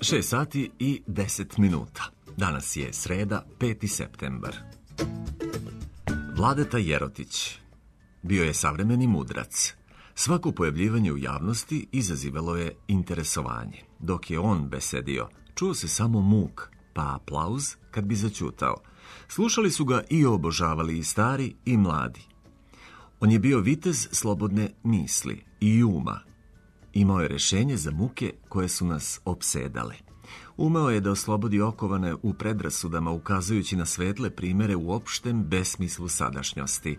6 sati i 10 minuta. Danas je sreda, 5. septembar. Vladeta Jerotić bio je savremeni mudrac. Svako pojavljivanje u javnosti izazivalo je interesovanje. Dok je on besedio, čuo se samo muk, pa aplauz kad bi zaćutao. Slušali su ga i obožavali i stari i mladi. On je bio vitez slobodne misli i uma. Imao je rešenje za muke koje su nas opsedale. Umeo je da oslobodi okovane u predrasudama, ukazujući na svetle primere u opštem besmislu sadašnjosti.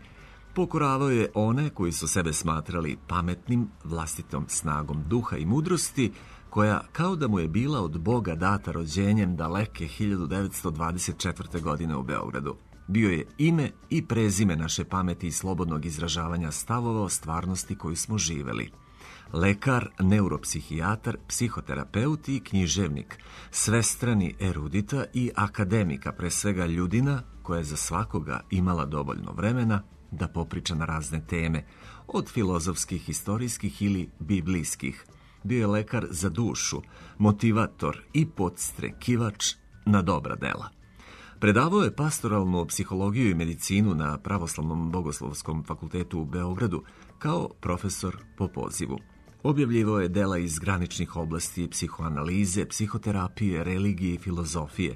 Pokoravao je one koji su sebe smatrali pametnim, vlastitom snagom duha i mudrosti, koja kao da mu je bila od Boga data rođenjem daleke 1924. godine u Beogradu. Bio je ime i prezime naše pameti i slobodnog izražavanja stavova o stvarnosti koju smo živeli. Lekar, neuropsihijatar, psihoterapeut i književnik, svestrani erudita i akademika, pre svega ljudina koja je za svakoga imala dovoljno vremena da popriča na razne teme, od filozofskih, istorijskih ili biblijskih. Bio je lekar za dušu, motivator i podstrekivač na dobra dela. Predavao je pastoralnu psihologiju i medicinu na Pravoslavnom bogoslovskom fakultetu u Beogradu kao profesor po pozivu. Objavljivao je dela iz graničnih oblasti psihoanalize, psihoterapije, religije i filozofije.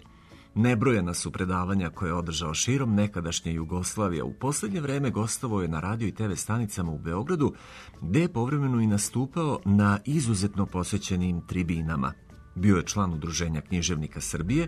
Nebrojena su predavanja koje je održao širom nekadašnje Jugoslavije. U poslednje vreme gostovao je na radio i TV stanicama u Beogradu, gde je povremeno i nastupao na izuzetno posećenim tribinama. Bio je član Udruženja književnika Srbije,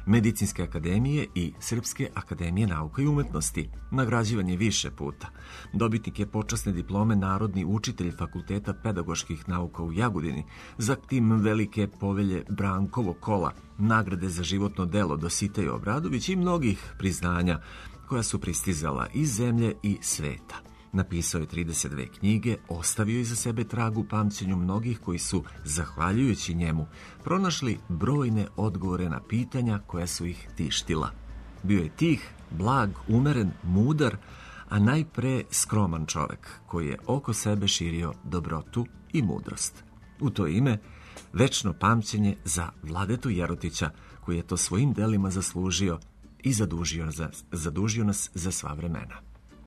Medicinske akademije i Srpske akademije nauka i umetnosti. Nagrađivan je više puta. Dobitnik je počasne diplome narodni učitelj Fakulteta pedagoških nauka u Jagodini, zatim velike povelje Brankovog kola, nagrade za životno delo Dositej Obradović i mnogih priznanja koja su pristizala iz zemlje i sveta. Napisao je 32 knjige, ostavio iza sebe trag u pamćenju mnogih koji su, zahvaljujući njemu, pronašli brojne odgovore na pitanja koja su ih tištila. Bio je tih, blag, umeren, mudar, a najpre skroman čovek koji je oko sebe širio dobrotu i mudrost. U to ime, večno pamćenje za Vladetu Jerotića, koji je to svojim delima zaslužio i zadužio nas za sva vremena.